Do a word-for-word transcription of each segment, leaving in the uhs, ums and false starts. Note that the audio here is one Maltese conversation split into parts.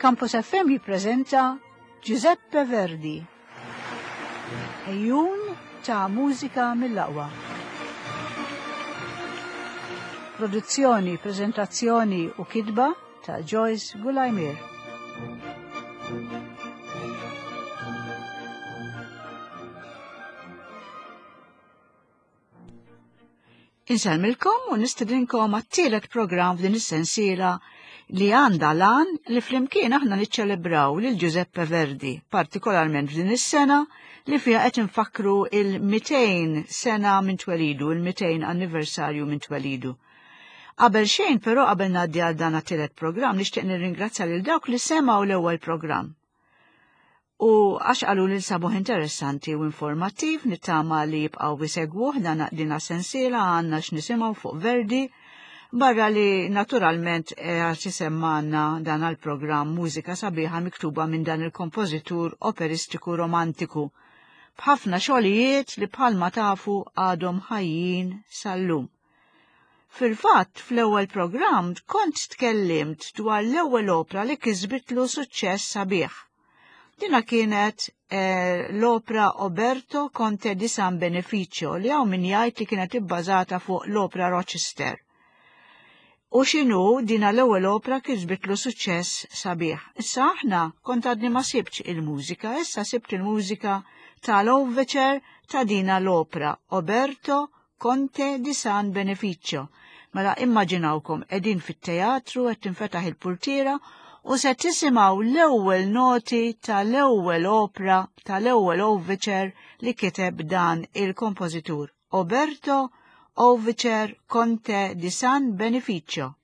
Campus F M jippreżenta Giuseppe Verdi. Ejjun ta' mużika mill-aqwa. Produzzjoni, prezentazzjoni u kitba ta' Joyce Gulajmir. Insellmilkom u nistedinkom għat-tielet programm f'din is-sensiela li għandha lan li flimkien aħna niċċelebraw lil Giuseppe Verdi, partikolarment f'din is-sena li fiha qed infakkru il-mitejn sena minn twelidu, il-mitejn anniversarju minn twelidu. Qabel xejn però qabel ngħaddi għal dan għat-tielet programm nixtieq nirringrazzja lil dawk li semgħu l-ewwel programm. U għax qalu li sabuh interessanti u informattiv, nittama li jibqgħu jsegwuh dan dina sensiela għandna x'nisimgħu fuq Verdi, barra li naturalment għax isemmgħana dan għall-programm mużika sabiħa miktuba minn dan il-kompożitur operistiku romantiku, b'ħafna xogħlijiet li bħalma tafu għadhom ħajjin sal-lum. Fil-fatt, fl-ewwel programm kont tkellimt dwar l-ewwel opra li kisbitlu suċċess sabiħ. Dina kienet eh, l-opra Oberto Conte di San Beneficio li hawn min jgħid li kienet ibbażata fuq l-opra Rochester. U x'inhu dina l-ewwel opra kisbitlu suċċess sabiħ. Issa aħna kont għadni ma sibtx il-mużika, issa sibt il-mużika tal-overture ta' dina l-opra Oberto Conte di San Beneficio. Mela immaġinawkom qegħdin fit-teatru qed tinfetaħ il-purtiera u se tisimgħu l-ewwel noti tal-ewwel opra tal-ewwel overture li kiteb dan il-kompożitur Oberto Overture Conte di San Beneficio.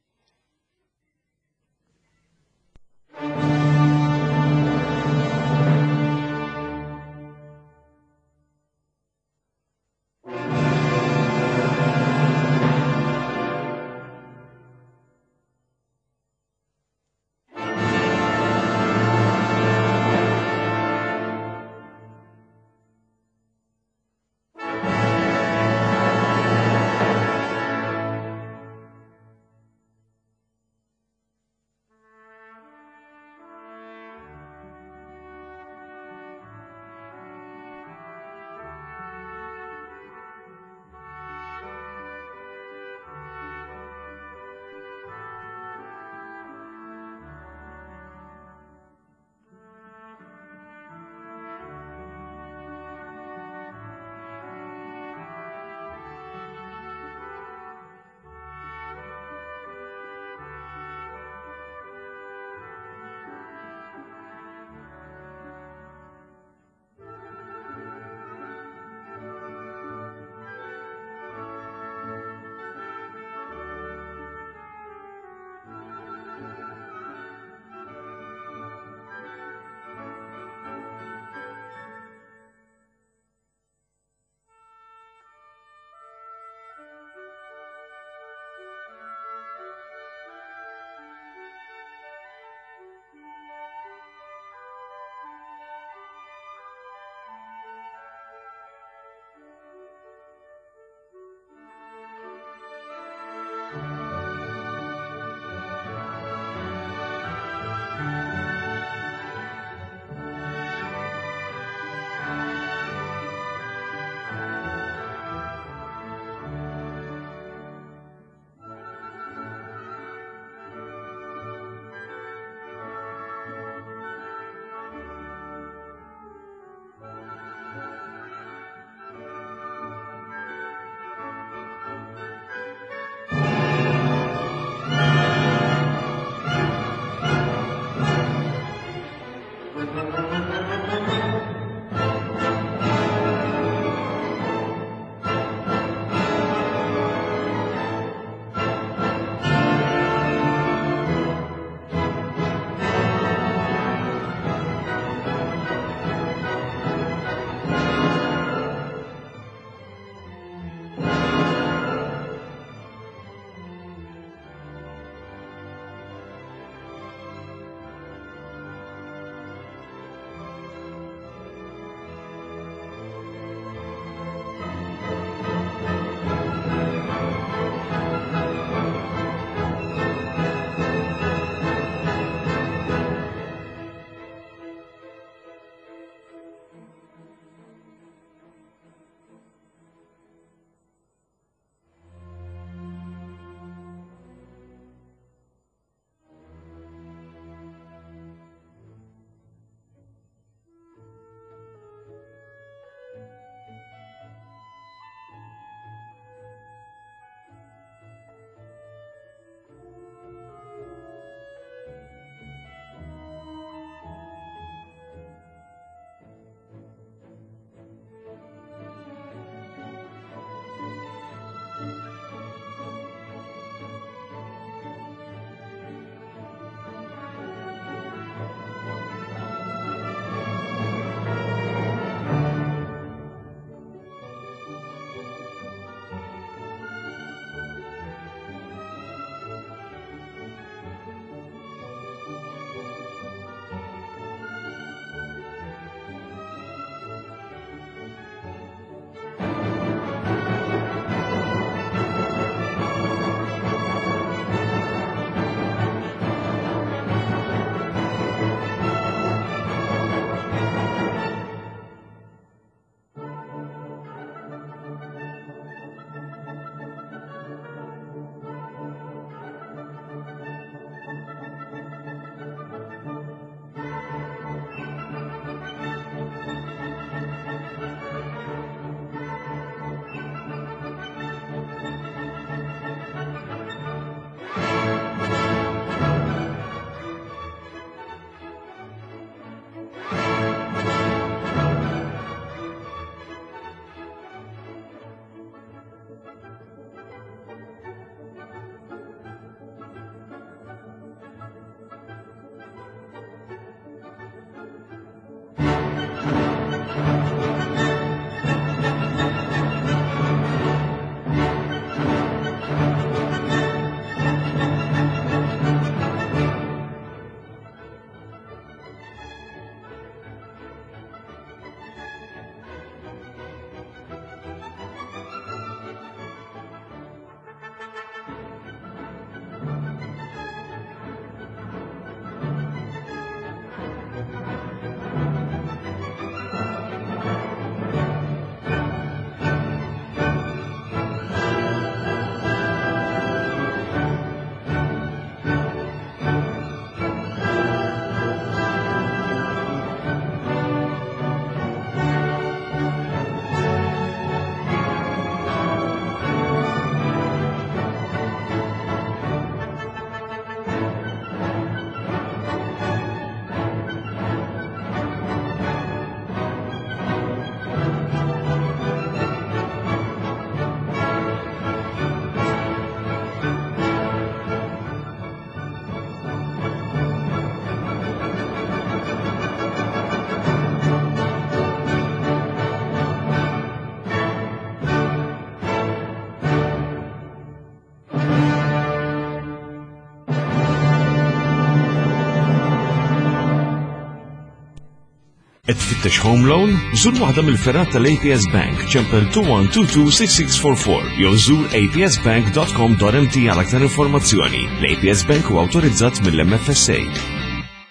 Qed tfittex home loan? Żur waħda mill-fergħat tal-A P S Bank, ċempel two one two two six six four four jew żur A P S bank dot com dot M T għal aktar informazzjoni. L-A P S Bank huwa awtorizzat mill-M F S A.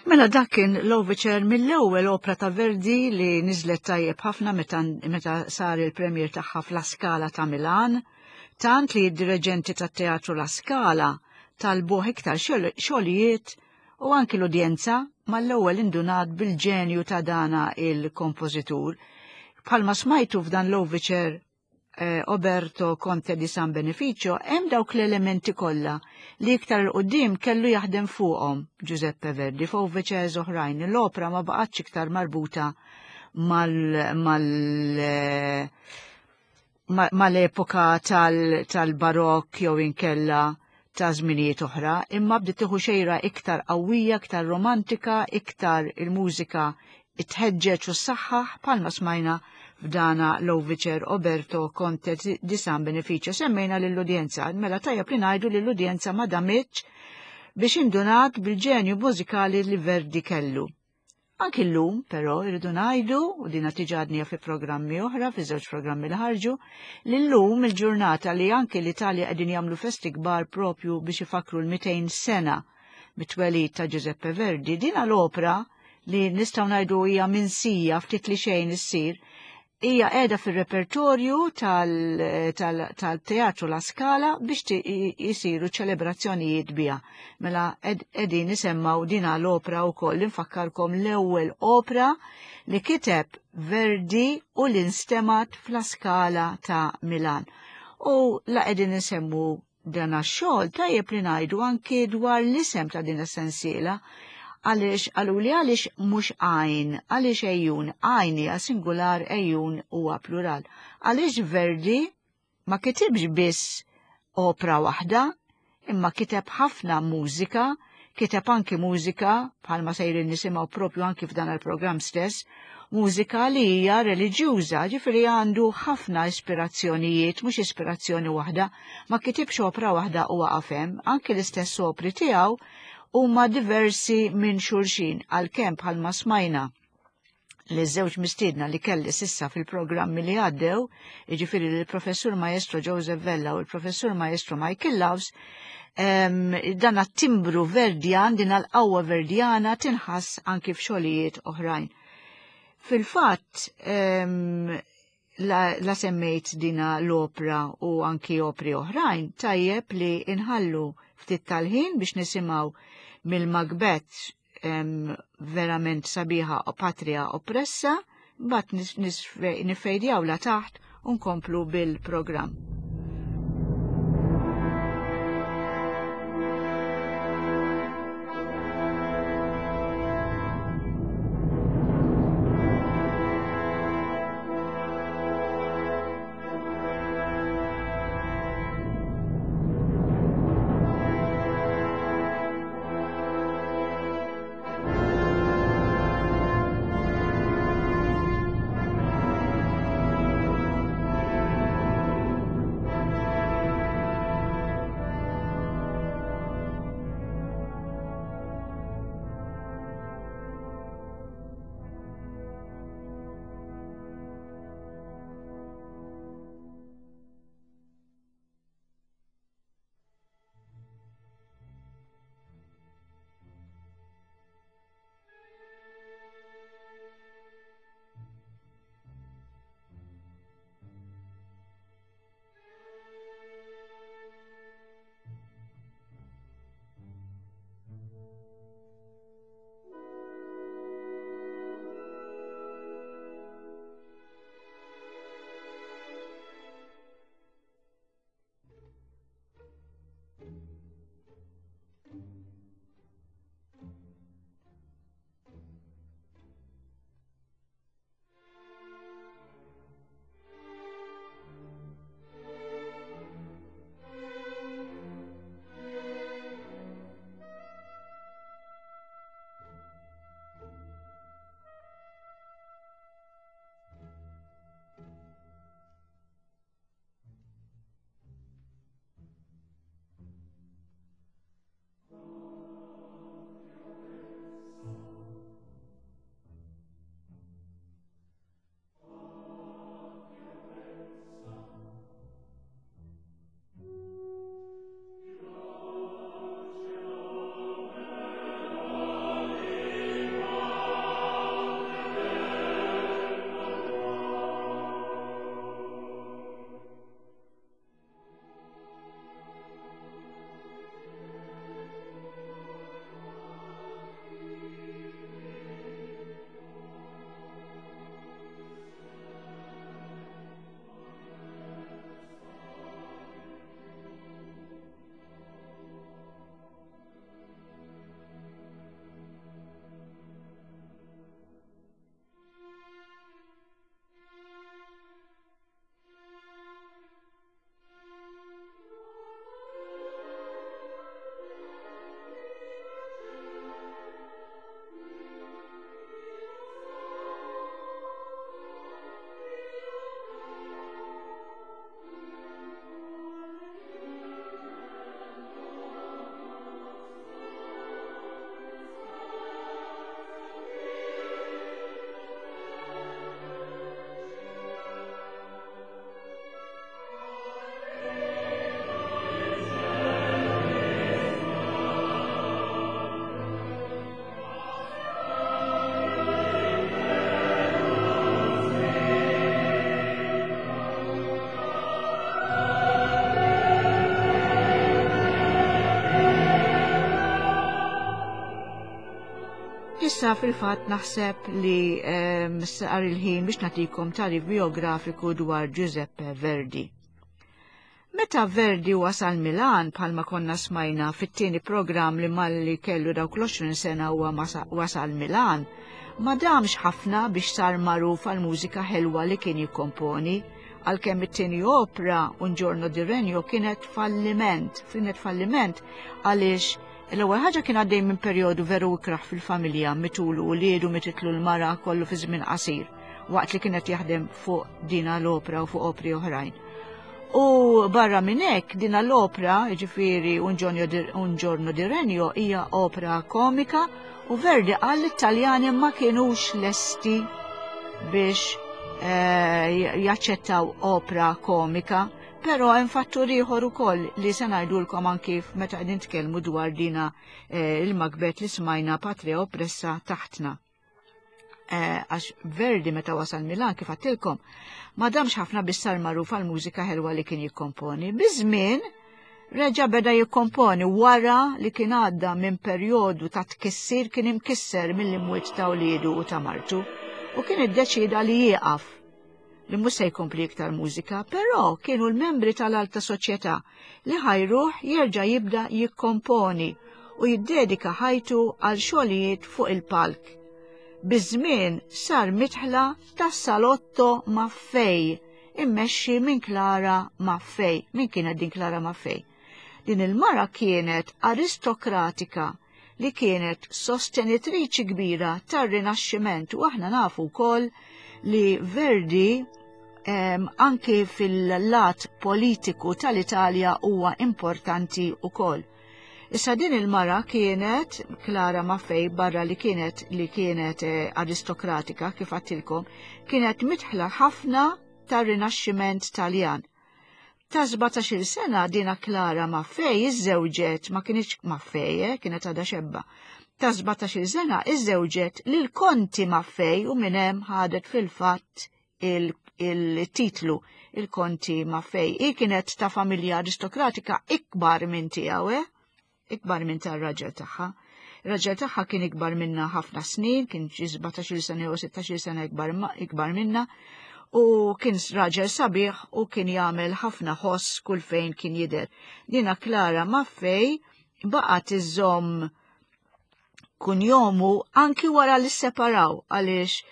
Mela dak kien l-overture mill-ewwel opra ta' Verdi li niżlet tajjeb ħafna meta, meta sar il-premiere tagħha f'La Scala ta' Milan, tant li d-direġenti tat-teatru La Scala talbuh iktar xogħlijiet u anki l-udjenza mal-ewwel indunat bil-ġenju ta' dana il-kompożitur. Bħalma smajtu f'dan l-overture eh, Oberto Conte di San Beneficio, hemm dawk l-elementi kollha li iktar 'il quddiem kellu jaħdem fuqhom Giuseppe Verdi f'overtures oħrajn. L-opra ma baqgħetx iktar marbuta mal, mal eh, mal-epoka tal-barok jew inkella ta' żminijiet oħra, imma bdiet tieħu xejra iktar qawwija, iktar romantika, iktar il-mużika tħeġġeġ u ssaħħaħ bħalma smajna f'dana l-overture Oberto Conte di San Beneficio. Semmejna lill-udjenza, mela tajjeb li ngħidu lill-udjenza ma damitx biex indunat bil-ġenju mużikali li Verdi kellu. Anki l-lum, però, irridu ngħidu, u dina diġà għednieha fi programmi oħra, fi żewġ programmi li ħarġu, li l-lum il-ġurnata li anki l-Italja qegħdin jagħmlu festi kbar propju biex ifakru l-mitejn sena mit-twelid ta' Giuseppe Verdi, dina l-opra li nistgħu ngħidu hija minsija ftit li xejn issir, hija qiegħda fir-repertorju tal-Teatru La Scala biex jisiru ċelebrazzjonijiet biha. Mela qegħdin nisimgħu dina l-opra wkoll, infakkarkom, l-ewwel opra li kiteb Verdi u li nstemat f'La Scala ta' Milan. U la qegħdin nisemmu dan x-xogħol, tajjeb li ngħidu anki dwar l-isem ta' din is-sensiela, għaliex għaluli għaliex mhux għajn, għaliex ejjun, għajn hija singular, ejjun huwa plural. Għaliex Verdi ma kitibx biss opra waħda, imma kiteb ħafna mużika, kiteb anki mużika, bħalma sejrin nisimgħu propju anki f'dan il-programm stess, mużika li hija reliġjuża, ġifieri għandu ħafna ispirazzjonijiet, mhux ispirazzjoni waħda, ma kitibx opra waħda u waqaf hemm, anki l-istess opri tiegħu huma diversi minn xulxin, għalkemm bħalma smajna li żewġ mistiedna li kelli s'issa fil-programmi li għaddew, jiġifieri l-professur Maestro Joseph Vella u l-professur Maestro Michael Loves, dan timbru Verdjan, din l-qawwa Verdjana tinħass anki f'xogħlijiet oħrajn. Fil-fatt, la, la semmejt dina l-opra u anki opri oħrajn, tajjeb li inħallu ftit tal-ħin biex nisimgħu mill-Macbeth verament sabiħa O Patria Oppressa, bat nifejdjaw la taħt u nkomplu bil-programm. Issa fil-fatt naħseb li ehm, sar il-ħin biex nagħtikom tagħrif biografiku dwar Giuseppe Verdi. Meta Verdi wasal Milan bħalma konna smajna fit-tieni programm li malli kellu dawk l-għoxrin sena huwa wasal Milan, ma damx ħafna biex sar magħruf għal mużika ħelwa li kien jikkomponi, għalkemm it-tieni opra Un giorno di Regno kienet falliment, kienet falliment għaliex l-ewwel ħaġa kien għaddej minn perjodu veru ikraħ fil-familja, mitulu uliedu, mititlu l-mara, kollu fi żmien qasir, waqt li kienet jaħdem fuq dina l-opra u fuq opri oħrajn. U barra minn hekk dina l-opra, jiġifieri Un giorno di Regno, hija opra komika u Verdi qal li t-Taljani ma kienux lesti biex eh, jaċċettaw opra komika. Però hemm fattur ieħor ukoll li se ngħidulkom anki meta qegħdin nitkellmu dwar dina eh, il-Macbeth li smajna Patria Oppressa taħtna. Eh, għax Verdi meta wasal Milan, kif għedtilkom, ma damx ħafna biex sar magħruf għal mużika ħelwa li kien jikkomponi. Biż-żmien reġa beda jikkomponi wara li kien għadda minn perjodu ta' tkissir, kien imkisser mill-imwiet ta' uliedu u ta' martu, u kien iddeċida li jieqaf, li mhux se jkompli iktar mużika, però kienu l-membri tal-alta soċjetà li ħajruh jerġa' jibda jikkomponi u jiddedika ħajtu għal xogħlijiet fuq il-palk. Biż-żmien sar midħla tas-Salotto Maffei, immexxi minn Clara Maffei. Min kienet din Clara Maffei? Din il-mara kienet aristokratika li kienet sostenitriċi kbira tar-Rinaxximent, u aħna nafu wkoll li Verdi um, anke fil-lat politiku tal-Italja huwa importanti wkoll. Issa din il-mara kienet, Clara Maffei, barra li kienet li kienet eh, aristokratika, kif għedtilkom, kienet midħla ħafna tar-Rinaxximent Taljan. Ta' sbatax-il sena dina Clara Maffei iżżewġet, ma kienx Maffei, eh, kienet għadha xebba. Ta' sbatax-il sena iżżewġet lil Konti Maffei u minn hemm ħadet fil-fatt il-titlu il-Konti Maffei. I kienet ta' familja aristokratika ikbar minn tiegħu, eh? Ikbar minn tar-raġel tagħha. Ir-raġel tagħha kien ikbar minna ħafna snin, kien xi sbatax-il sena jew sittax-il sena ikbar, ikbar minna, u kien raġel sabiħ u kien jagħmel ħafna ħoss kull fejn kien jidher. Dina Clara Maffei baqgħet iżżomm kunjomu anki wara li separaw, għaliex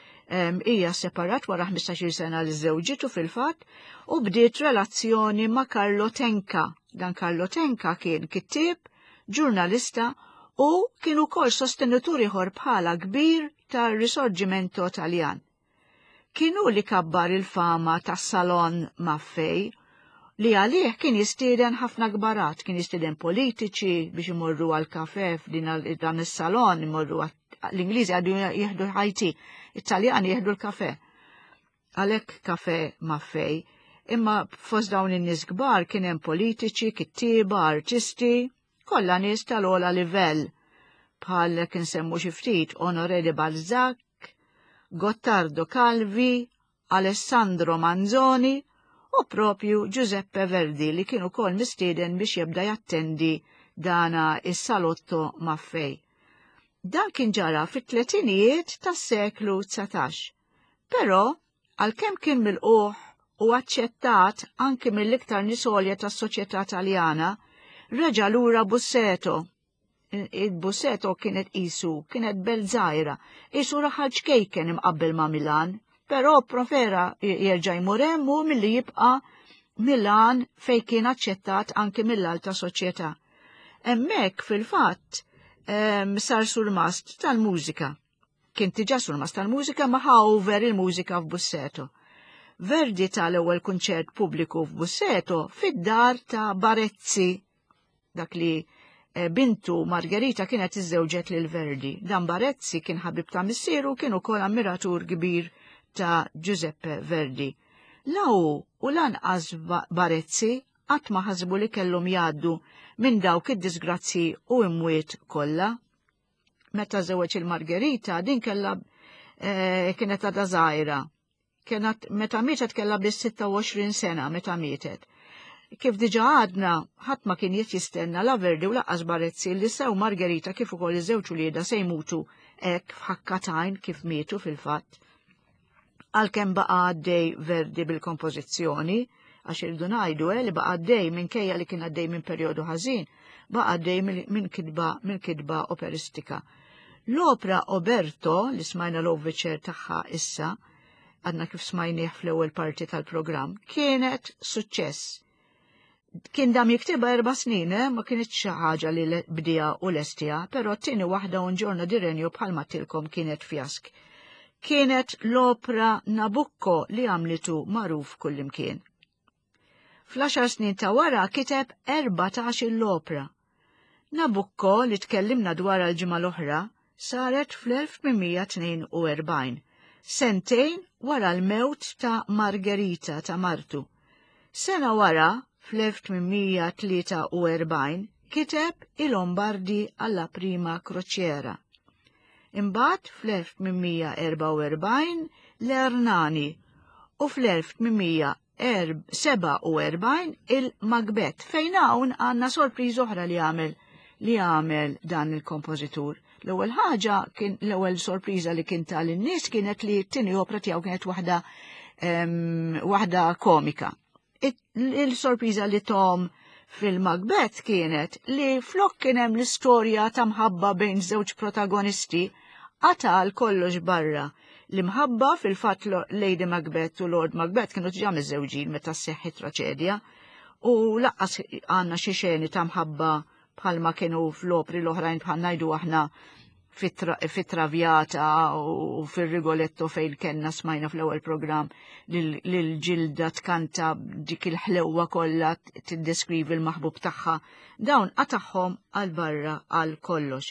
hija separat wara ħmistax-il sena li żewġitu fil-fatt u bdiet relazzjoni ma' Carlo Tenca. Dan Carlo Tenca kien kittieb, ġurnalista u kien ukoll sostenitur ieħor bħala kbir tar-Risorgimento Taljan. Kienu li kabbar il-fama tas-Salon Maffei li għalih kien jistieden ħafna kbarat, kien jistieden politiċi biex imorru għal kafe f'din dan is-salon, imorru l-Ingliżi għadu jieħdu ħajti, Italjani jieħdu l-kafe. Għalhekk kafe Maffei. Imma fost dawn in-nies kbar kien hemm politiċi, kittieba, artisti, kollha nies tal-ogħla livell. Bħal kien semmu xi ftit Honoré de Balzac, Gottardo Calvi, Alessandro Manzoni u propju Giuseppe Verdi li kienu kol mistieden biex jibda jattendi dana is-Salotto Maffei. Dan kien ġara fit-tletinijiet tas-seklu dsatax. Però, għalkemm kien milqugħ u aċċettat anki mill-iktar nies għolja tas-soċjetà Taljana, reġa' lura Busseto. Il-Busseto kienet isu, kienet belt żgħira, isu raħal ċkejken imqabbel ma' Milan, però prefera jerġa' jmur hemm u milli jibqa' Milan fej kien aċċettat anki mill-alta soċjetà. Hemmhekk fil-fatt sar surmast tal-mużika. Kien diġà surmast tal-mużika ma ħa over il-mużika f'Busseto. Verdi tal-ewwel kunċert pubbliku f'Busseto fid-dar ta' Barezzi, dak li eh, bintu Margherita kienet iżżewġet lil Verdi. Dan Barezzi kien ħabib ta' missieru, kien ukoll ammiratur kbir ta' Giuseppe Verdi. La hu u lanqas Barezzi qatt ma ħasbu li kellhom jgħaddu minn dawk id-disgrazzi u imwiet kollha. Meta żewġ il-Margherita, din kellha eh, kienet għadha żgħira. Kienet meta mietet kellha biss sitta u għoxrin sena meta mietet. Kif diġà għadna, ħadd ma kien qed jistenna la Verdi u lanqas Barezzi li sew Margherita kif ukoll iż-żewġ uliedha se jmutu hekk f'ħakka t'għajn kif mietu fil-fatt. Għalkemm baqa' għaddej Verdi bil-kompożizzjoni, għax irridu ngħidu eh, li baqa' għaddej minkejja li kien għaddej minn perjodu ħażin, baqa' għaddej minn kitba minn kitba operistika. L-opra Oberto, li smajna l-overture tagħha issa, għadna kif smajnieh fl-ewwel parti tal-programm, kienet suċċess. Kien dam jiktibha erba' snin, eh? Ma kienet xi ħaġa li bdieha u lestiha, però t-tieni waħda Un giorno di regno bħalma għedtilkom kienet fjask. Kienet l-opra Nabucco li għamlitu magħruf kullimkien. Fl-għaxar snin ta' wara kiteb erbatax l-opra. Nabucco li tkellimna dwar l-ġimgħa l-oħra saret fl-elf tmien mija tnejn u erbgħin, sentejn wara l-mewt ta' Margherita ta' martu. Sena wara, fl-elf tmien mija tlieta u erbgħin, kiteb il-Lombardi alla prima crociera. Imbagħad fl-elf tmien mija erbgħa u erbgħin l-Ernani u fl-elf tmien mija seba' u erbgħin il-Macbeth, fejn hawn għandna sorpriża oħra li għamel li għamel dan il-kompożitur. L-ewwel ħaġa kien l-ewwel sorpriża li kien ta lin-nies kienet li t-tieni opra tiegħu kienet waħda, em, waħda komika. Il-sorpriża li tom fil-Macbeth kienet li flok kien hemm l-istorja ta' mħabba bejn żewġ protagonisti, qatal kollox barra. L-imħabba fil-fatt Lady Macbeth u Lord Macbeth kienu diġà miżżewġin meta sseħħi traċedja, u laqqas għandna xi xeni ta' mħabba bħalma kienu fl-opri l-oħrajn bħal ngħidu aħna fit-Traviata u fir-Rigoletto fejn kellna smajna fl-ewwel programm lil Ġilda tkanta dik il-ħlewwa kollha tiddeskrivi l-maħbub tagħha. Dawn qatagħhom għal barra għal kollox.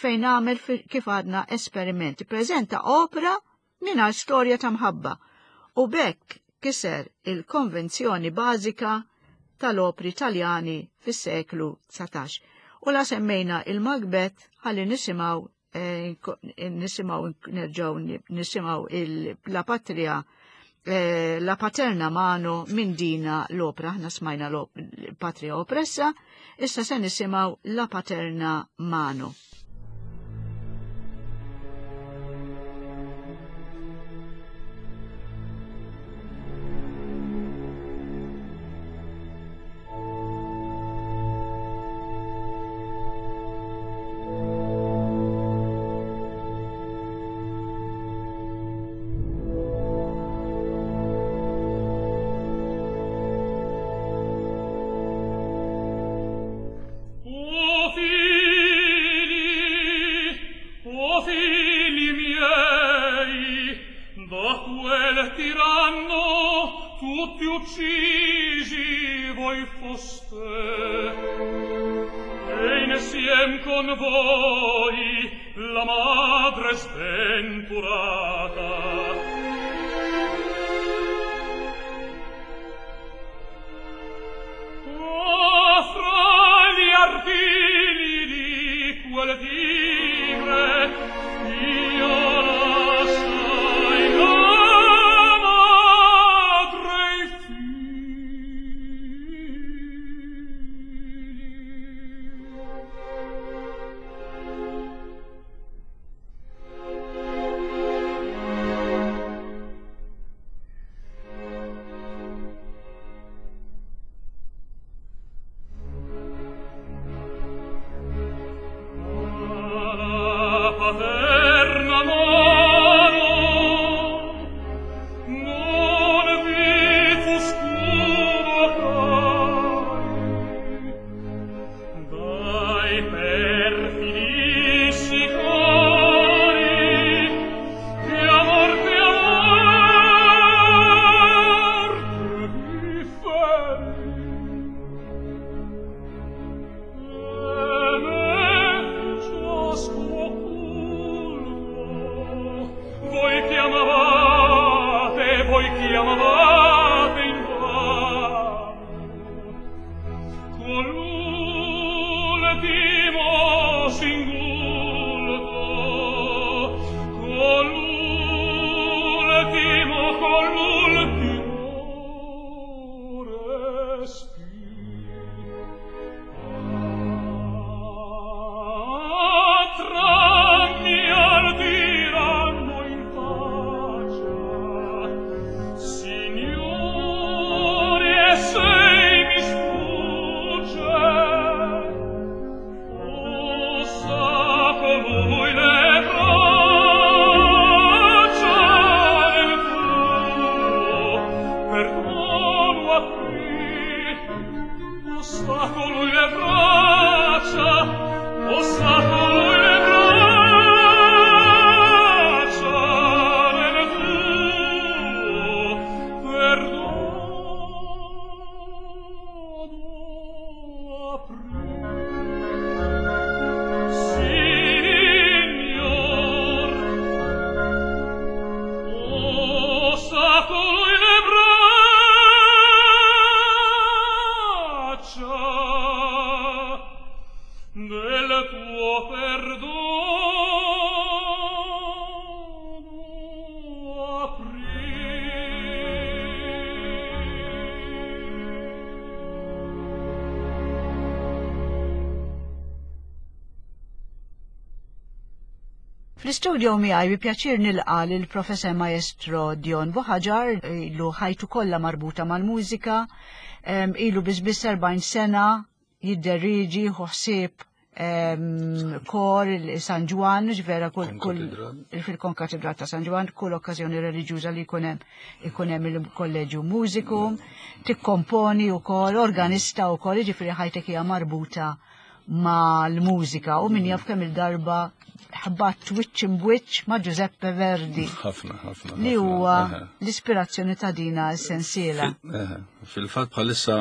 Fejn għamel kif għadna esperimenti, preżenta opra mingħajr storja ta' mħabba u bekk kiser il-konvenzjoni bażika tal-opri Taljani fis-seklu dsatax. U la semmejna il-Macbeth ħalli nisimgħu, eh, nisimgħu, nerġgħu nisimgħu il-, la patria, eh, la paterna mano minn dina l-opra. Aħna smajna l-Patria Oppressa, issa se nisimgħu la paterna mano. Ciascuno Del tuo perdono aprì. Fl-istudio miegħi bi pjaċir nilqa' lill-Professor Maestro Dion Buhagiar, ilu ħajtu kollha marbuta mal-mużika, ilu biss biss erbgħin sena jidderieġi ħsieb kor San Ġwann, ġvera kull fil-Konkatedral ta' San Ġwann, kull okkażjoni reliġjuża li jkun hemm ikun hemm il-Kolleġju Mużikum, tikkomponi wkoll, organista wkoll, jiġifieri ħajtek hija marbuta mal-mużika u min jaf kemm il-darba ħabbat wiċċ imbwiċċ ma' Giuseppe Verdi. Ħafna, ħafna. Li huwa l-ispirazzjoni ta' dina s-sensiela. Fil-fatt bħalissa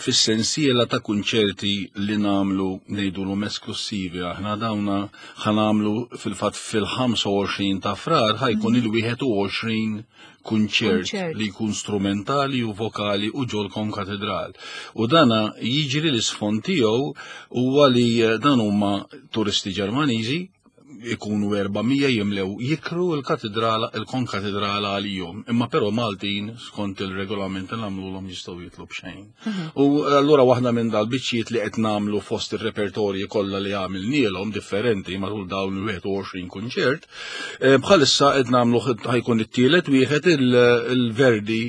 fis-sensiela ta' kunċerti li nagħmlu ngħidulhom esklusivi aħna dawna ħanamlu fil-fatt fil-ħamsa u għoxrin ta' Frar ħajkun il-wieħed u għoxrin kunċert li jkun strumentali u vokali u ġol konkatedral. U dana jiġri l-isfond tiegħu huwa li dan huma turisti Ġermaniżi ikunu erba' mija jimlew jikru l-katedrala, il-konkatedrala għalihom. Imma però Maltin skont il-regolament li nagħmluhom jistgħu jitlu b'xejn. U allura waħda minn dal-biċċiet li qed nagħmlu fost ir-repertorji kollha li għamilnielhom differenti matul dawn il-wieħed u għoxrin kunċert, bħalissa qed nagħmlu ħajkun it-tielet wieħed il-Verdi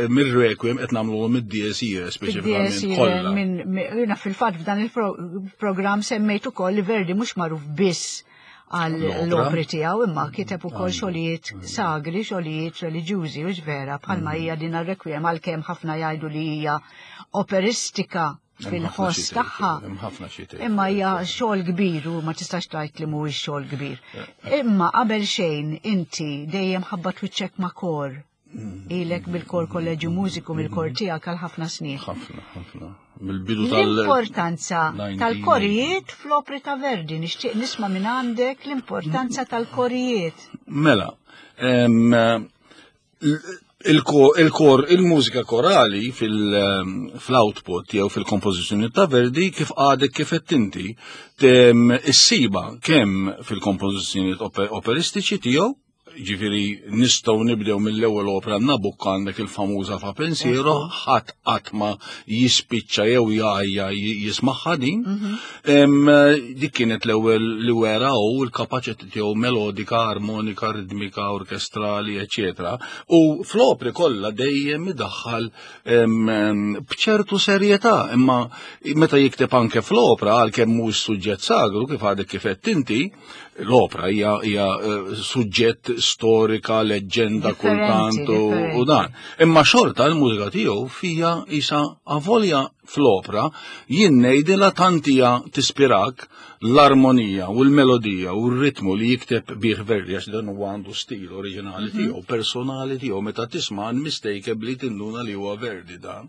mir-Requiem qed nagħmluhom id-Dies Irae speċifikament kollha. Jiena fil-fatt f'dan il-programm semmejt ukoll li Verdi mhux magħruf biss għal l-opri tiegħu imma kiteb ukoll xogħlijiet sagri, xogħlijiet reliġjużi u vera bħalma hija din ar-Requiem għalkemm ħafna jgħidu li hija operistika fil-ħoss tagħha. Imma hija xogħol kbir u ma tistax tgħid li mhuwiex xogħol kbir. Imma qabel xejn inti dejjem ħabba twiċċek ma' kor. Ilek bil-kor Kolleġju Mużiku mill-kor tiegħek għal ħafna snin. Ħafna, ħafna. Mill-bidu tal- L-importanza tal-korijiet fl-opri ta' Verdi, nixtieq nisma' minn għandek l-importanza tal-korijiet. Mela, il-kor, il-mużika korali fil-output jew fil-kompożizzjoni ta' Verdi kif għadek kif qed inti issiba kemm fil-kompożizzjoni operistiċi tiegħu, ġifieri nistgħu nibdew mill-ewwel opera Nabucco għandek il-famuża Fa Pensiero, ħadd qatt ma jispiċċa jew jgħajja jismagħha din. Dik kienet l-ewwel li wera u l-kapaċità tiegħu melodika, armonika, ritmika, orkestrali, eċċetera. U fl-opri kollha dejjem idaħħal b'ċertu serjetà, imma meta jikteb anke fl-opra għalkemm mhux suġġett sagru kif għadek kif qed inti, l-opra hija hija suġġett storika, leġġenda kultant u dan. Imma xorta l-mużika tiegħu fija isa avolja fl-opra jien ngħidilha tant hija tispirak l-armonija u l-melodija u r-ritmu li jikteb bih Verdi għax dan huwa għandu stil oriġinali tiegħu, personali tiegħu, meta tisma' unmistakably tinduna li huwa Verdi dan.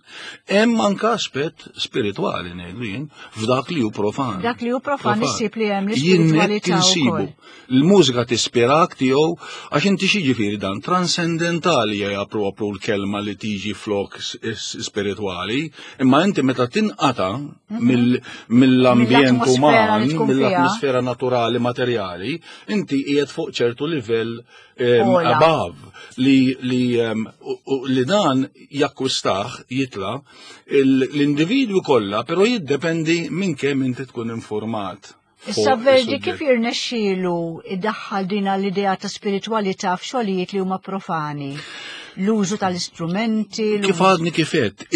Hemm anke aspett spiritwali ngħidu jien f'dak li hu profan. Dak li hu profan issib li hemm l-ispiritwalità wkoll. Il-mużika tispirak tiegħu għax inti xi ġifieri dan transcendentali hija propru l-kelma li tiġi flok spiritwali, imma inti meta tinqata mill-ambjent uman, mill-atmosfera naturali materjali, inti qiegħed fuq ċertu livell above li li dan jakkwistah jitla l-individwi kollha, però jiddependi minn kemm inti tkun informat. Issa Verdi kif jirnexxielu iddaħħal din l-idea ta' spiritwalità f'xogħlijiet li huma profani? L-użu tal-istrumenti. Kif għadni kifet,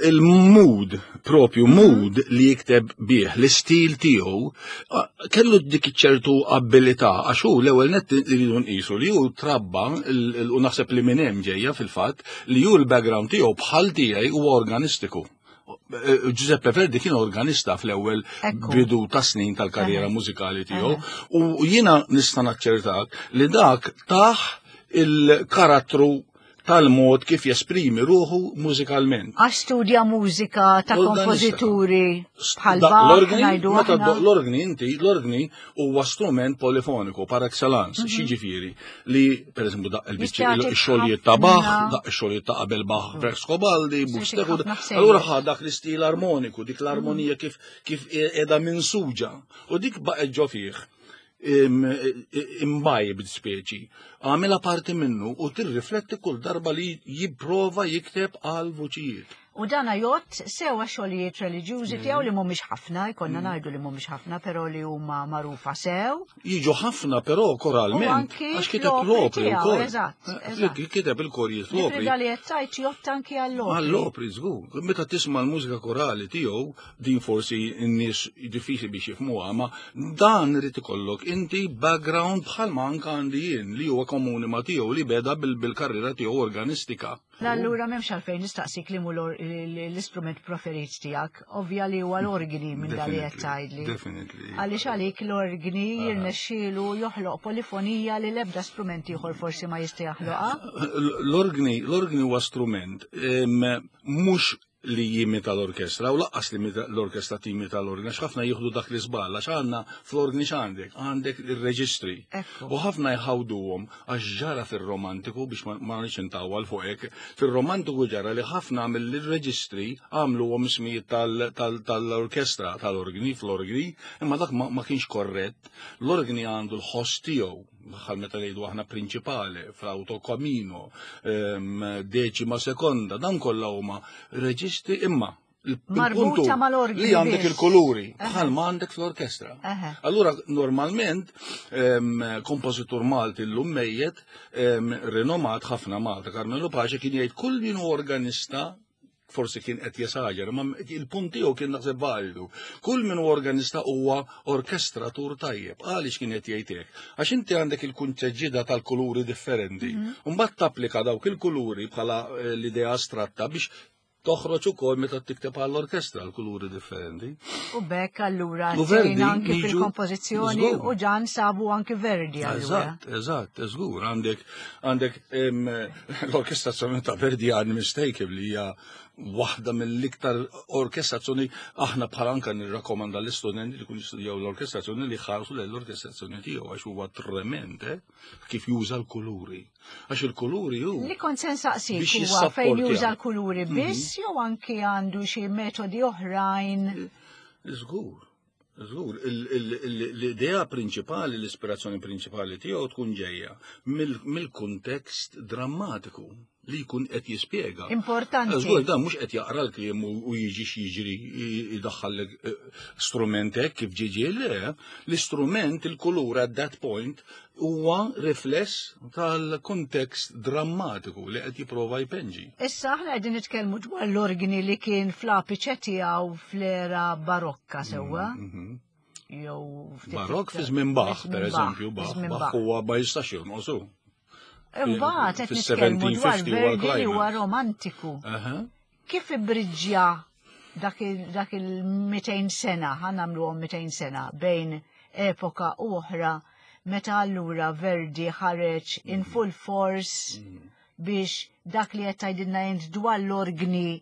il-mood, propju mood li jikteb bih, l-istil tiegħu, kellu dik ċertu abilità, għax hu l-ewwel nett iridu nqisu li hu trabba, u naħseb li minn hemm ġejja fil-fatt, li hu l-background tiegħu bħal tiegħi huwa organistiku. Giuseppe Verdi kien organista fl-ewwel bidu ta' snin tal-karriera mużikali tiegħu, u jiena nista' naċċertak li dak taħ il-karattru tal-mod kif jesprimi ruħu mużikalment. Għax studja mużika ta' Organista. kompożituri bħal Da- Bach, L-organi, ngħidu meta aħna. l-organi inti, l-organi huwa strument polifoniku par excellence, x'jiġifieri li per eżempju daqq il-biċċi Jista' jagħtik ix-xogħlijiet ta' Bach, ħafna- daqq ix-xogħlijiet ta' qabel Bach, Frescobaldi, Jista' jagħtik Buxtehude. ħafna ħsejjes. Allura ħa dak l-istil armoniku, dik l-armonija kif kif qiegħda minsuġa. U dik baqgħet ġo fih imbajb speċi. Għamilha parti minnu u tirrifletti kull darba li jipprova jikteb għal vuċijiet. U dana jgħodd sew xogħlijiet reliġjużi tiegħu li mhumiex ħafna, jkollna Mm. ngħidu li mhumiex ħafna, però li huma magħrufa sew. Jiġu ħafna però koralment. U anki Għax kiteb l-opri l-opri tiegħu, wkoll. eżatt, Eh, eżatt. Kiteb il-korijiet Ġifieri l-opri. li qed tgħid jgħodd anki għall-opri. Għall-opri, żgur. Meta tisma' l-mużika korali tiegħu, din forsi n-nies diffiċli biex jifhmuha, ma dan irid ikollok inti background bħal ma anka għandi jien li huwa komuni ma tiegħu li beda bil- bil-karriera tiegħu organistika. Allura m'hemmx għalfejn nistaqsik li mu l- l-istrument preferit tiegħek, ovvja li huwa l-organi minn dali qed tgħidli. Definitely. Għaliex għalik l-organi jirnexxielu joħloq polifonija li l-ebda strument ieħor forsi ma jista' jaħloqha. L-organi, l-organi huwa strument em, mhux li jimita l-orkestra u lanqas li imita- l-orkestra timita l-organi, għax ħafna jieħdu dak li żball, għax għandna fl-organi x'għandek, għandek il-reġistri. Ekku. U ħafna jħawduhom għax ġara fir-romantiku biex ma ma rridx intawwal fuq hekk, fir-romantiku ġara li ħafna mill-reġistri għamluhom ismijiet tal- tal- tal-orkestra, tal-organi, fl-organi, imma dak ma ma kienx korrett. L-organi għandu l-ħoss tiegħu bħal meta ngħidu aħna prinċipale, flauto camino, ehm, deċima sekonda, dan kollha huma reġistri imma il- Marbuta il-puntu mal-organi li għandek biss. il-kuluri, Eħe. bħal ma għandek fl-orkestra. Eħe. Allura, normalment, em, kompożitur Malti l-lum mejjet, em, rinomat ħafna Malta, Carmelo Pace kien jgħid kull min hu organista forsi kien qed jesaġera, ma il-punt tiegħu kien naħseb validu. Kull min hu organista huwa orkestratur tajjeb. Għaliex kien qed jgħid hekk? Għax inti għandek il-kunċeġġida tal-kuluri differenti. Mbagħad tapplika dawk il-kuluri bħala eh, l-idea astratta biex toħroġ ukoll meta tikteb għall-orkestra l-kuluri differenti. U bekk allura U Verdi tgħin anki jiġu- fil-kompożizzjoni Żgur. u ġan sabu anki Verdi allura. Eżatt, eżatt, żgur. Għandek, għandek em, l-orkestrazzjoni ta' Verdi unmistakably hija waħda mill-iktar orkestrazzjoni aħna bħala anka nirrakkomanda l-istudenti li kun jistudjaw l-orkestrazzjoni li ħarsu l-orkestrazzjoni tiegħu għax huwa trement eh, kif juża l-kuluri. Għax il-kuluri hu Li kont se nsaqsik Biex huwa fejn jissapportja. juża l-kuluri biss jew anki għandu xi metodi oħrajn. Żgur. Żgur, il- il- il- l-idea prinċipali, l-ispirazzjoni prinċipali tiegħu tkun ġejja mill- mill-kuntest drammatiku li jkun qed jispjega. Importanti. Żgur, dan mhux qed jaqra l-kliem u u jiġi x'jiġri jdaħħal strument hekk kif ġiġi le, l-istrument, il-kulur at that point huwa rifless tal-kontekst drammatiku li qed jipprova jpenġi. Issa aħna qegħdin nitkellmu dwar l-organi li kien fl-apiċe tiegħu fl-era barokka sewwa. Jew ftit Barok iktar. fi żmien Bach, Fi żmien per eżempju, fi Bach, żmien Bach huwa ma jistax jonqosu. Imbagħad qed fis- nitkellmu dwar seventeen fifty huwa Verdi li huwa l-climax. romantiku. Aha. Kif ibriġġja dak il- dak il-mitejn sena, ħa nagħmluhom mitejn sena bejn epoka u oħra meta allura Verdi ħareġ in full force biex dak li qed tgħidilna int dwar l-organi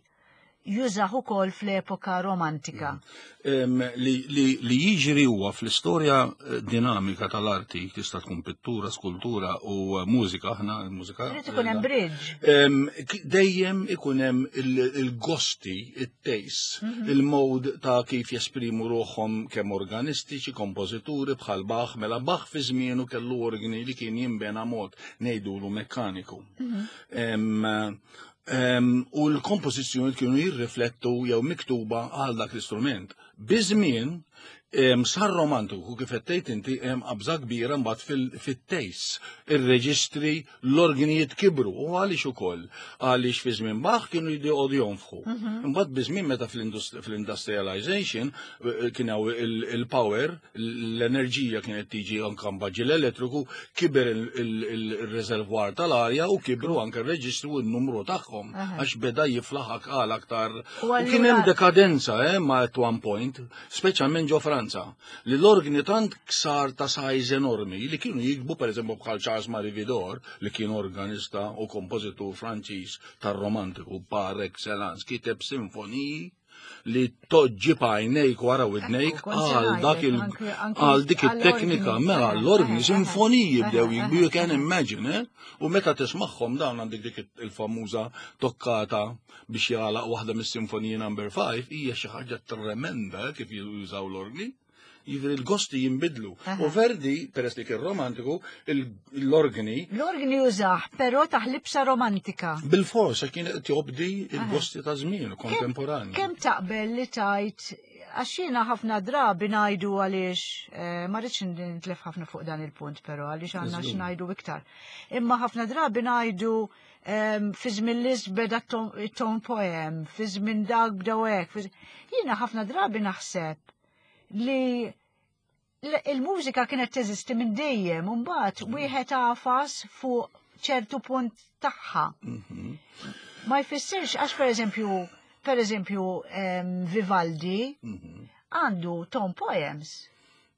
jużah ukoll fl-epoka romantika. Em, li, li, li jiġri huwa fl-istorja eh, dinamika tal-arti, tista' tkun pittura, skultura u eh, mużika, aħna l-mużika. Irid ikun hemm bridge. Em, k- Dejjem ikun hemm il- il-gosti, il-taste, il-mod ta' kif jesprimu ruħhom kemm organistiċi, kompożituri bħal Bach, mela Bach fi żmienu kellu organi li kien jinbena mod ngħidulu mekkaniku. Em, em, U l-kompożizzjoni kienu jirriflettu jew miktuba għal dak l-istrument. Biż-żmien em, sar romantiku kif qed tgħid inti hemm qabża kbira mbagħad fil- fit-taste. Ir-reġistri l-organijiet kibru u għaliex ukoll għaliex fi żmien Bach kienu jqogħdu jonfħu. Imbagħad biż-żmien meta fl-indust- fl-industrialization eh, kien hawn il- il-power, l-enerġija kienet tiġi anke mbagħad l-elettriku, kiber il- il- il-reservoir tal-arja u kibru anke r-reġistru u n-numru tagħhom Aha. għax beda jiflaħ għal aktar. U U kien hemm allura- dekadenza eh, ma at one point. point, speċjalment ġo Franza, li l-organi tant ksar ta' size enormi li kienu jiktbu per eżempju bħal Charles Marie Widor, li kien organista u kompożitur Franċiż tar-romantiku par excellence, kiteb sinfoniji li toġġi għajnejk wara widnejk Ekku, kont se għal dak il ngħidlek, anke- għal dik anke it-teknika għall-organi. mela Eħe, l-organi eħe, sinfoniji eħe, bdew eħe, jiktbu, you can imagine, eh? U meta tismagħhom dawn għandek dik il-famuża toccata biex jagħlaq waħda mis-sinfoniji number five, hija xi ħaġa tremenda kif jużaw l-organi. Jiġifieri l-gosti jinbidlu. U Verdi, peress li kien romantiku, il- l-organi L-organi użah, però taħ libsa romantika. bil-forsa kien qed jobdi il-gosti ta' żmien kontemporanju. Kemm taqbel li tajt, għax jiena ħafna drabi ngħidu għaliex, eh, ma rridx nitlef ħafna fuq dan il-punt, però għaliex għandna x'ngħidu iktar. Imma ħafna drabi ngħidu em, fi żmien Liszt beda tone poem, fi żmien dak bdew hekk. fi- Jiena ħafna drabi naħseb li l- il-mużika kienet teżisti minn dejjem, u mbagħad wieħed għafas fuq ċertu punt tagħha. Mhm. Ma jfissirx, għax per eżempju, per eżempju, em, Vivaldi Mhm. għandu tone poems.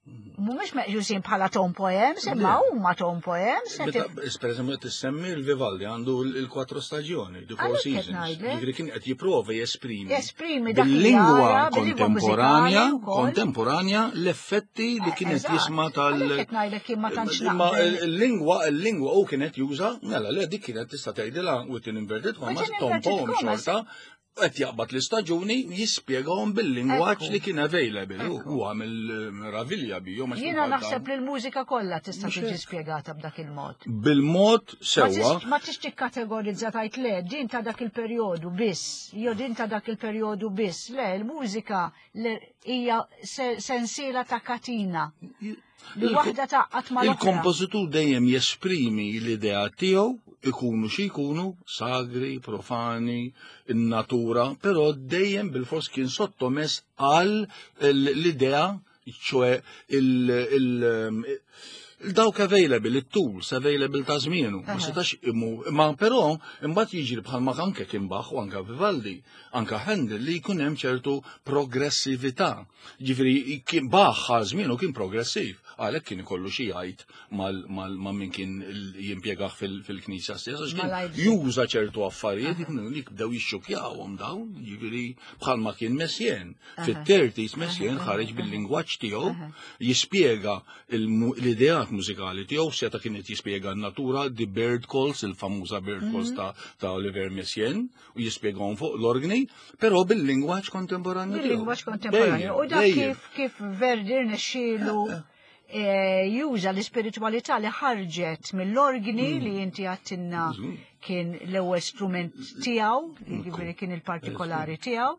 Mhumiex meqjusin bħala tone poems, imma huma tone poems. qed Meta, per eżempju, tissemmi il-Vivaldi għandu il-quattro stagioni, the four Għalhekk qed seasons. ngħidlek. Jiġifieri kien qed jipprova jesprimi. Jesprimi dak li bil-lingwa jara, bil-lingwa kontemporanja, mużikali wkoll. kontemporanja l-effetti li kienet Eżatt. jisma tal. Għalhekk qed ngħidlek jien ma tantx Imma naqbel. il-lingwa, il-lingwa u kienet juża, mela le dik kienet tista' tgħidilha within inverted commas, Within tone inverted poem commas. xorta, qed jaqbad l-istaġuni jispjegahom bil-lingwaġġ Ekku. li kien available. Ekku. U għamel meravilja bijom. għax Jiena bħal naħseb dawn. li l-mużika kollha tista' Mhux tiġi hekk. spjegata b'dak il-mod. Bil-mod Ma sewwa, tis- Ma tix tikkategorizza tajt le, din ta' dak il-perjodu biss, jew din ta' dak il-perjodu biss. Le, il-mużika le- hija se- sensiela ta' katina. Li Il- waħda taqqat ma' l-oħra. Il-kompożitur dejjem jesprimi l-idea tiegħu ikunu xi jkunu sagri, profani, in-natura, però dejjem bil-fors kien sottomess għal l-idea, ċoè il- il- il-dawk available, il-tools available ta' żmienu. Ma Aha. setax imu, ma però imbagħad jiġri bħalma anke kien Bach u anke Vivaldi, anke Handel li jkun hemm ċertu progressività. Ġifieri kien Bach għal żmienu kien progressiv, għalhekk kien ikollu xi jgħid mal mal ma' min kien il- jimpjegah fil- fil-knisja stess, għax kien Ma Leipzig. juża ċertu affarijiet li bdew jixxukjawhom dawn, ġifieri bħalma kien Messiaen. Fit-thirties Messiaen ħareġ bil-lingwaġġ tiegħu jispjega il-mu- l-ideat mużikali tiegħu seta kienet jispjega n-natura, the bird calls, il-famuża bird calls ta' ta' Olivier Messiaen, u jispjegahom fuq l-organi, però bil-lingwaġġ kontemporanju tiegħu. Bil-lingwaġġ kontemporanju. Dejjem, U dak dejjem. kif kif Verdi rnexxielu eh, juża l-ispiritualità li ħarġet mill-organi li inti għedtilna kien l-ewwel strument tiegħu, jiġifieri kien il-partikolari tiegħu.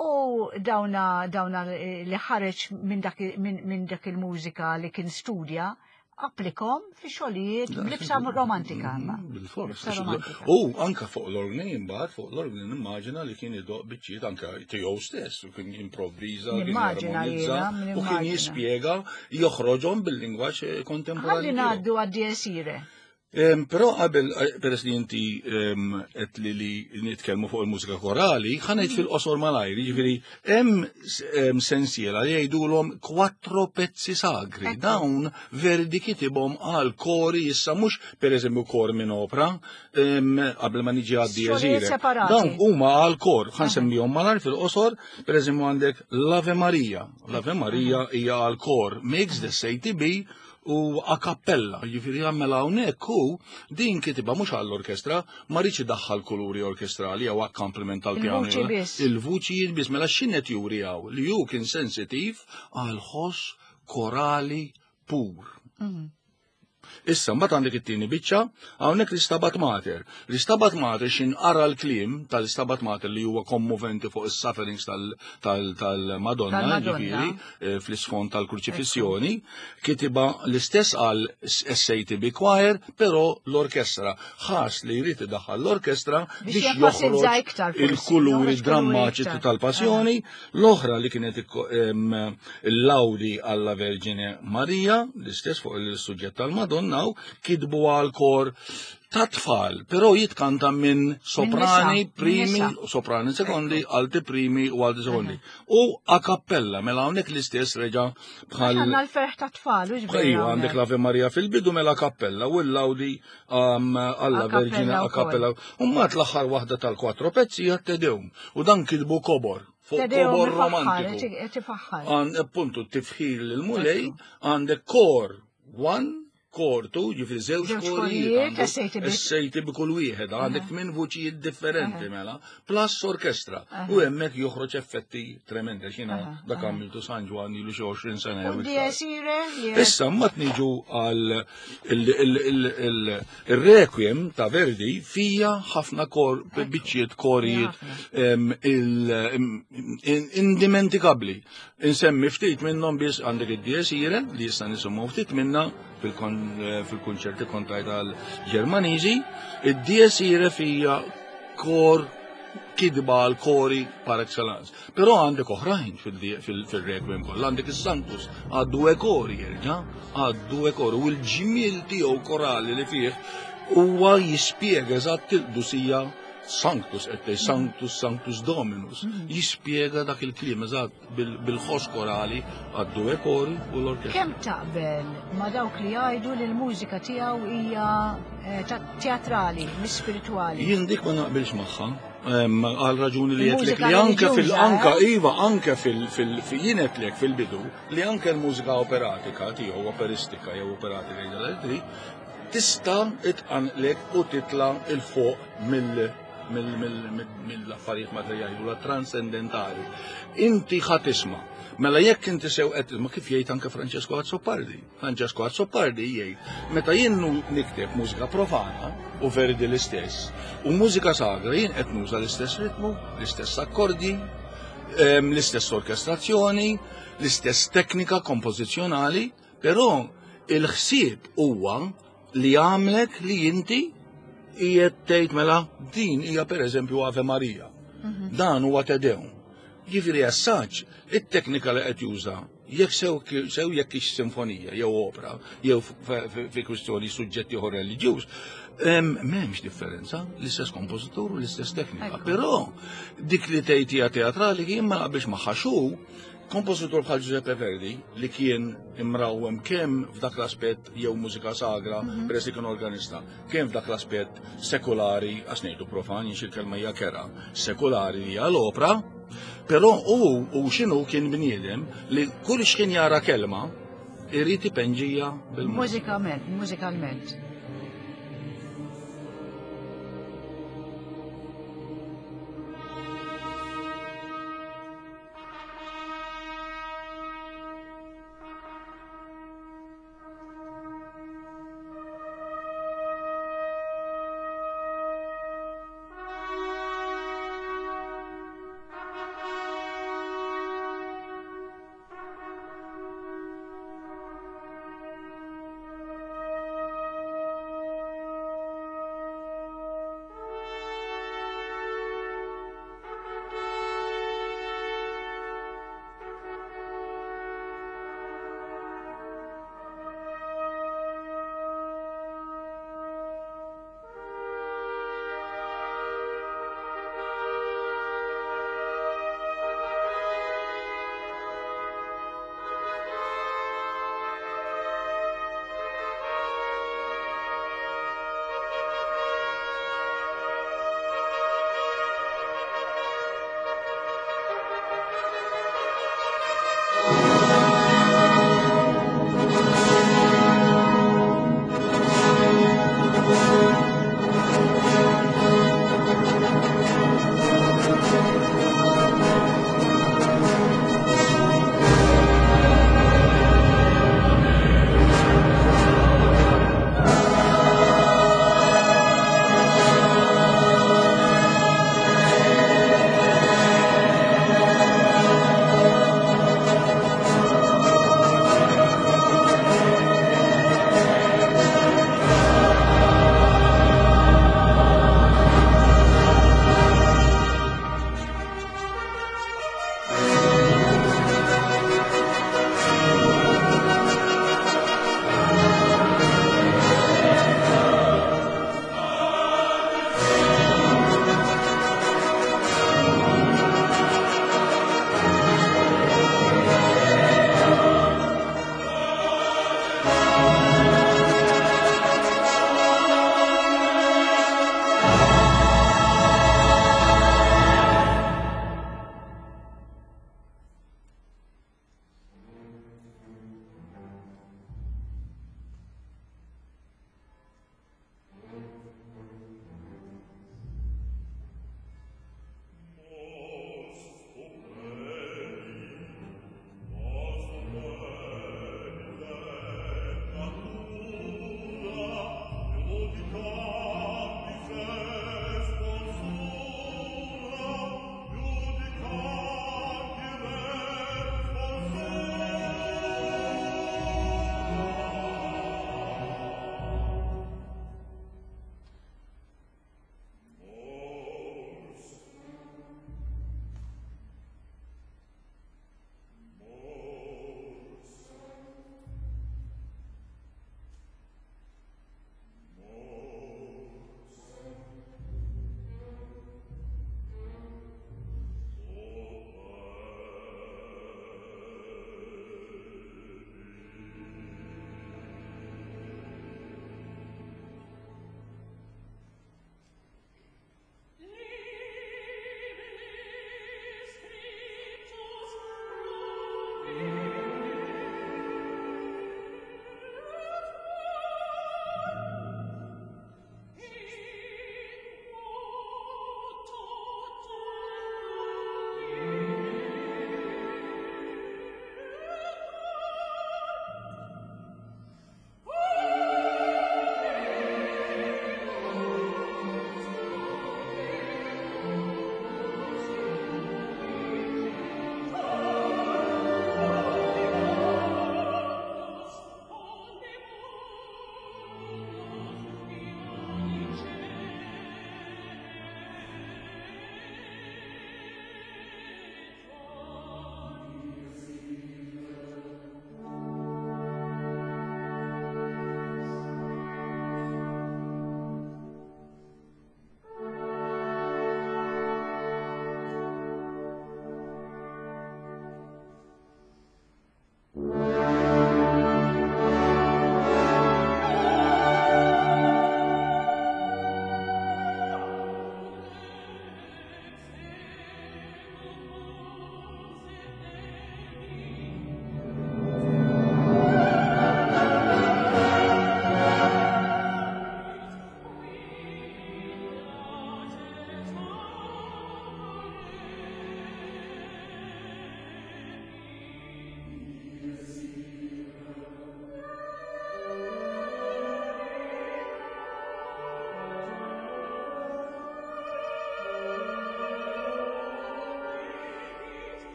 U dawna dawna li ħareġ minn dak minn min dak il-mużika li kien studja, applikom fi xogħlijiet b'libsa romantika. imma. Bil-fors. Libsa romantika. U anka fuq l-organi imbagħad fuq l-organi nimmaġina li kien idoq biċċiet anka tiegħu stess u kien improvviża, kien Nimmaġina jarmonizza jiena, u kien nimmaġina. jispjega joħroġhom bil-lingwaġġ kontemporanju. Ħalli tiegħu. ngħaddu għad-Dies Irae. Em, Però qabel, eh, peress li inti em, qed li li nitkellmu fuq il-mużika korali, ħa ngħid fil-qosor malajr, jiġifieri hemm s- em, sensiela li jgħidulhom quattro pezzi sagri. Ekku. Dawn Verdi kitibhom għal kori issa mhux pereżempju kor minn opra, em, qabel ma niġi għad Xogħlijiet Dies Irae. separati. Dawn huma għal kor, ħa nsemmihom malajr fil-qosor, pereżempju għandek l-Ave Maria. L-Ave Maria hija għal kor mixed S A T B u a cappella, jiġifieri għamel hawnhekk hu din kitibha mhux għall-orkestra, ma riedx idaħħal kuluri orkestrali jew accompaniment tal-pjano. Il-vuċi biss. Il-vuċi biss, mela x'inhet juri hawn li hu kien sensitiv għal ħoss korali pur. Issa, mbagħad għandek it-tieni biċċa, hawnhekk l-Istabat Mater. L-Istabat Mater x'inqara l-kliem tal-Istabat Mater li huwa kommoventi fuq is-sufferings tal- tal- tal-Madonna, Tal-Madonna. ġifieri, eh, fl-isfond tal-kruċifissjoni, kitiba l-istess għal S A T B Choir, però l-orkestra. Ħass li jrid idaħħal l-orkestra Biex biex jenfasizza joħroġ iktar forsi, il-kuluri joħroġ kuluri drammatiċi iktar. tal-passjoni, l-oħra li kienet ikko- em, il-Laudi alla Vergine Maria, l-istess fuq il-suġġett tal-Madonna, u kitbu għal kor Ta' tfal, però jitkanta minn soprani, primi, soprani sekondi, alti primi u alti sekondi. U a cappella, mela hawnhekk l-istess reġa' bħal. Għandna l-ferħ ta' tfal, u ġbir. Iva, għandek l-Ave Maria fil-bidu mela cappella u l-Laudi alla Verġina a cappella. U mbagħad l-aħħar waħda tal-quattro pezzi hija Te Deum. U dan kitbu kobor. Fuq kobor romantiku. Appuntu, tifħir lill-Mulej, għandek kor one, kor tu, ġifri żewġ korijiet, essejti bi kull wieħed, għandek tmien vuċijiet differenti mela, plus orkestra. U hemmhekk joħroġ effetti tremendi, x'jiena dak għamiltu San Ġwann ilu xi għoxrin sena jew iktar. Issa mbagħad niġu għal il-Requiem ta' Verdi fija ħafna kor biċċiet korijiet indimentikabbli. Insemmi ftit minnhom biss għandek id-Dies Irae li issa nisimgħu ftit minna fil-konċerti kontaj tal-Ġermaniżi, id-Dies Irae fija kor kidba għal kori par excellence. Però għandek oħrajn fil-Requiem kollha, għandek is-Sanctus għad due kori jerġa', għad due kori, u l-ġmiel tiegħu korali li fih huwa jispjega eżatt il-qdusija Sanctus, qed tgħid Sanctus, Sanctus Dominus, jispjega dak il-kliem eżatt bil-ħoss korali għad due kori u l-orkestra. Kemm taqbel ma' dawk li jgħidu li l-mużika tiegħu hija teatrali, mhix spiritwali? Jien dik ma naqbilx magħha. Għal raġuni li qedlek li anke fil-anka iva anke fil jien qedlek fil-bidu li anke l-mużika operatika tiegħu operistika jew operatika jgħidha tista' itqanqlek u titla' il fuq mill mill-affarijiet materjali u la transcendentali. Inti ħa tisma'. Mela jekk inti sew qed ma kif jgħid anke Francesco Azzopardi. Francesco Azzopardi jgħid meta jien nikteb mużika profana u Verdi l-istess u mużika sagra jien qed nuża l-istess ritmu, l-istess akkordi, l-istess orkestrazzjoni, l-istess teknika kompożizzjonali, però il-ħsieb huwa li għamlek li inti qiegħed tgħid mela din hija pereżempju Ave Maria. Dan huwa Te Deum. Jiġifieri assaġġ it-teknika li qed juża jekk sew sew jekk hix sinfonija jew opera jew fi kwistjoni suġġetti ieħor reliġjuż, m'hemmx differenza, l-istess kompożitur u l-istess teknika. Però dik li tgħid hija teatrali jien ma naqbilx magħha xu kompożitur bħal Giuseppe Verdi li kien imrawwem kemm f'dak l-aspett jew mużika sagra, peress li kien organista, kemm f'dak l-aspett sekulari, għax ngħidu profan, jien xi kelma hija kera, sekulari hija l-opra, però hu u x'inhu kien bniedem li kull x'kien jara kelma irid ipenġija bil-mużika. Mużikalment, mużikalment.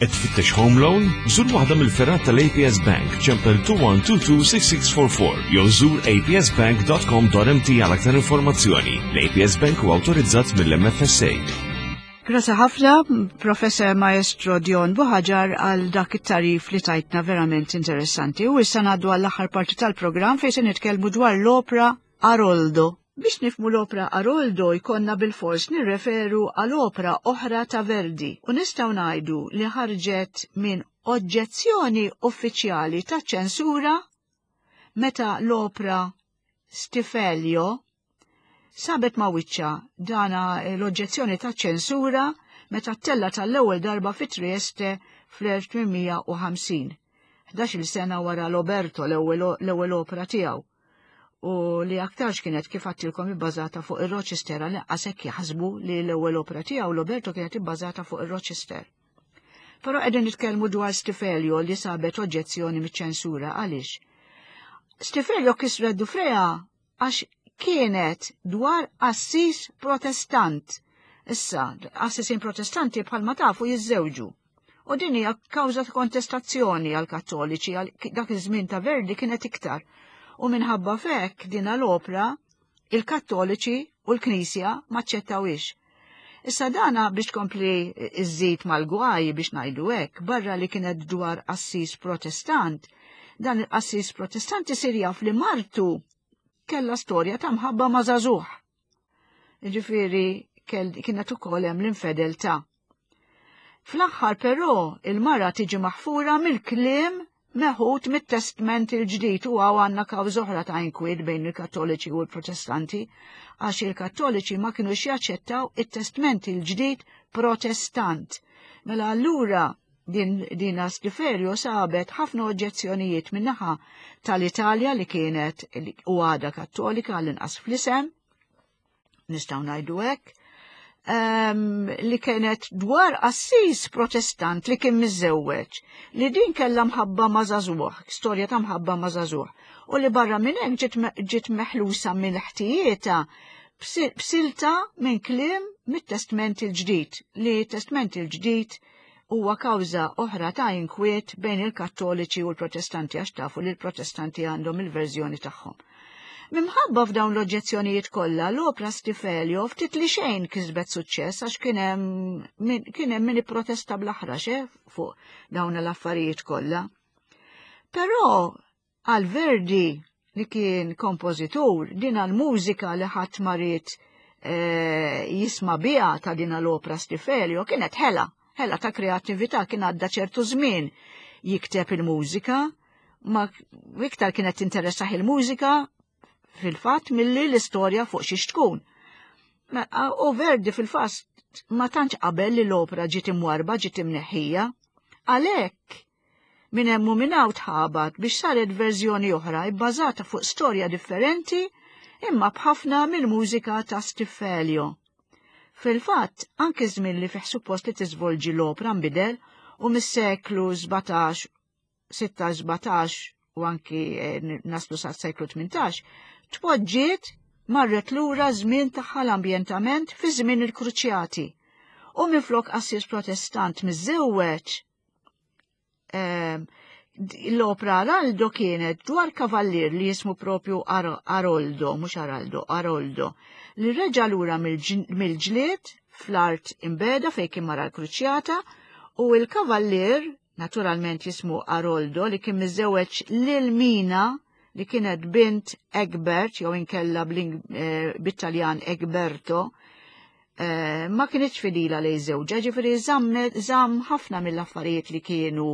Qed tfittex home loan? Żur waħda mill-fergħat tal-A P S Bank, ċempel tnejn wieħed tnejn tnejn sitta sitta erba' erba' jew żur A P S bank punt com punt M T għal aktar informazzjoni. L-A P S Bank huwa awtorizzat mill-M F S A. Grazie ħafna, Professor Maestro Dion Buhagiar, għal dak it-tagħrif li tajtna, verament interessanti. U issa ngħaddu għall-aħħar parti tal-programm, fejn se nitkellmu dwar l-opra Aroldo. Biex nifhmu l-opra Aroldo jkollna bil-fors nirreferu għal opra oħra ta' Verdi u nistgħu ngħidu li ħarġet minn oġġezzjoni uffiċjali ta' ċensura meta l-opra Stiffelio sabet ma' wiċċa dana l-oġġezzjoni ta' ċensura meta ttellgħet għall-ewwel darba fi Trieste fl-elf tmien mija u ħamsin, ħdax-il sena wara l-Oberto, l-ewwel opra tiegħu, u li aktarx kienet, kif għedtilkom, ibbażata fuq il-Rochester, għal hekk jaħsbu li l-ewwel opra tiegħu l-Oberto kienet ibbażata fuq il-Rochester. Però qegħdin nitkellmu dwar Stiffelio li sabet oġġezzjoni miċ-ċensura. Għaliex? Stiffelio kisret dufrejha għax kienet dwar qassis Protestant. Issa, qassisin Protestanti bħalma tafu jiżżewġu. U din hija kawża ta' kontestazzjoni għal Kattoliċi, għal dak iż-żmien ta' Verdi kienet iktar, u minħabba f'hekk din l-opra il-Kattoliċi u l-Knisja maċċettawix. Issa dana biex tkompli iżżid mal-gwaj, biex ngħidu hekk, barra li kienet dwar qassis Protestant, dan il-qassis Protestant isir jaf li martu kella storja ta' mħabba ma' żagħżugħ. Ġifieri kienet ukoll hemm l-infedeltà. Fl-aħħar però il-mara tiġi maħfura mill-kliem meħud mit-Testment il-Ġdid, u hawn għandna kawża oħra ta' inkwiet bejn il-Kattoliċi u l-Protestanti, għax il-Kattoliċi ma kienux jaċċettaw it-Testment il-Ġdid Protestant. Mela allura din din Stiffelio sabet ħafna oġġezzjonijiet min-naħa tal-Italja li kienet u għada Kattolika, għall-inqas fl-isem, nistgħu ngħidu hekk, um, li kienet dwar qassis Protestant li kien miżżewweġ, li din kellha mħabba ma' żagħżugħ, storja ta' mħabba ma' żagħżugħ, u li barra minn hekk ġiet meħlusa minn ħtijietha b'silta minn kliem mit-Testment il-Ġdid, li Testment il-Ġdid huwa kawża oħra ta' inkwiet bejn il-Kattoliċi u l-Protestanti, għax tafu li l-Protestanti għandhom il-verżjoni tagħhom. Minħabba f'dawn l-oġġezzjonijiet kollha, l-opra Stiffelio ftit li xejn kisbet suċċess, għax kien hemm min ipprotesta bl-aħrax eh, fuq dawn l-affarijiet kollha. Però għal Verdi, li kien kompożitur, din l-mużika li ħadd ma ried eh, jisma' biha ta' din l-opra Stiffelio kienet ħela, ħela ta' kreattività. Kien għadda ċertu żmien jikteb il-mużika, ma iktar kienet tinteressah il-mużika fil-fatt milli l-istorja fuq xiex tkun. U Verdi fil-fatt ma tantx qabel li l-opra ġiet imwarba, ġiet imneħħija. Għalhekk minn hemm u minn hawn tħabat biex saret verżjoni oħra ibbażata fuq storja differenti imma b'ħafna mill-mużika ta' Stiffelio. Fil-fatt, anke żmien li fih suppost li tiżvolġi l-opra nbidel u mis-seklu sbatax, sittax, sbatax u anki eh, naslu sa' seklu tmintax, tpoġġiet, marret lura żmien tagħha l-ambjentament fi żmien il-Kruċjati. U minflok qassis Protestant miżżewweġ, ehm, l-opra Araldo kienet dwar kavallier li jismu propju Aroldo, mhux Araldo, Aroldo, li reġa lura mill-ġlied fl-art imbegħda fejn kien mar l-kruċjata, u il-kavallier naturalment jismu Aroldo, li kien miżżewweġ lil Mina, li kienet bint Egbert jew inkella eh, bit-Taljan Egberto, eh, ma kienx fidila lejn żewġha, ġifieri żamm ħafna mill-affarijiet li kienu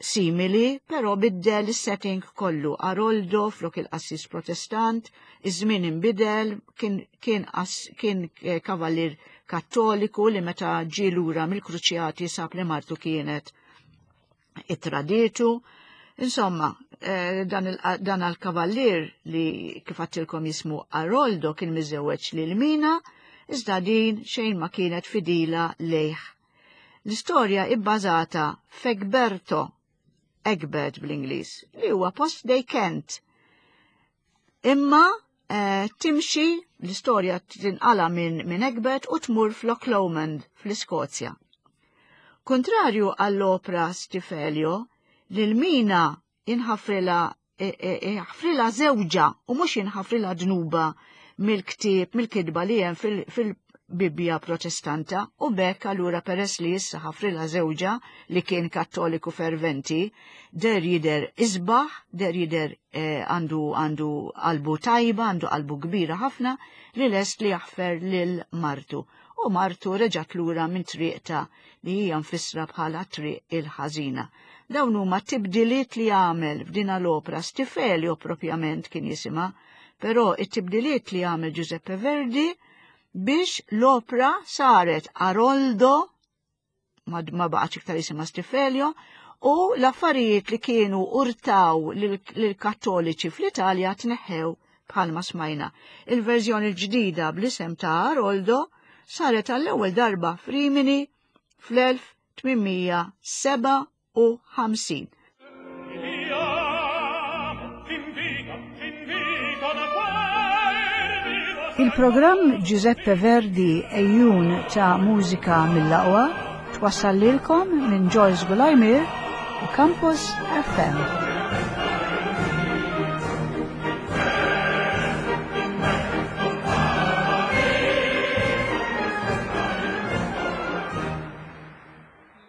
simili, però biddel is-setting kollu. Aroldo flok il-qassis Protestant, iż-żmien inbidel, kien, kien, kien eh, kavallier Kattoliku li meta ġie lura mill-kruċjati sab li martu kienet ittradietu. Insomma, eh, dan il-kavallier li kif għedtilkom jismu Aroldo kien miżewweġ lil Mina, iżda din xejn ma kienet fidila lejh. L-istorja ibbażata f'Egberto, Egbert bl-Ingliż, li huwa post ġo Kent. Imma eh, timxi l-istorja, tinqala minn min Egbert u tmur f'Loch Lomond fl-Iskozja. Kontrarju għall-opra Stiffelio, lil Mina inħafrilha ħafrilha żewġha u mhux jinħafrilha dnuba mill-ktieb, mill-kitba li hemm fil-Bibbja Protestanta u b'hekk allura peress li issa ħafrilha żewġha li kien kattoliku ferventi, der jider isbaħ, der jider eh, għandu għandu qalbu tajba, għandu qalbu kbira ħafna li lest li jaħfer lil martu. U martu reġat lura minn triqta li hija mfissra bħala triq il-ħażina. Dawn huma tibdiliet li għamel f'dina l-opra Stiffelio propjament kien jisimha, però it-tibdiliet li għamel Giuseppe Verdi biex l-opra saret Aroldo, ma, ma baqgħetx iktar jisimha Stiffelio, u l-affarijiet li kienu urtaw lill-Kattoliċi fl-Italja tneħħew bħalma smajna. Il-verżjoni l-ġdida bl-isem ta' Aroldo saret għall-ewwel darba f'Rimini fl-elf tmien mija sebgħa u ħamsin. Ti amo fin vita, fin vita da quel vivo Il-programm Giuseppe Verdi Ejjun ta' mużika mill-aqwa twassal lilkom minn Joyce Gulajmir u Campus F M.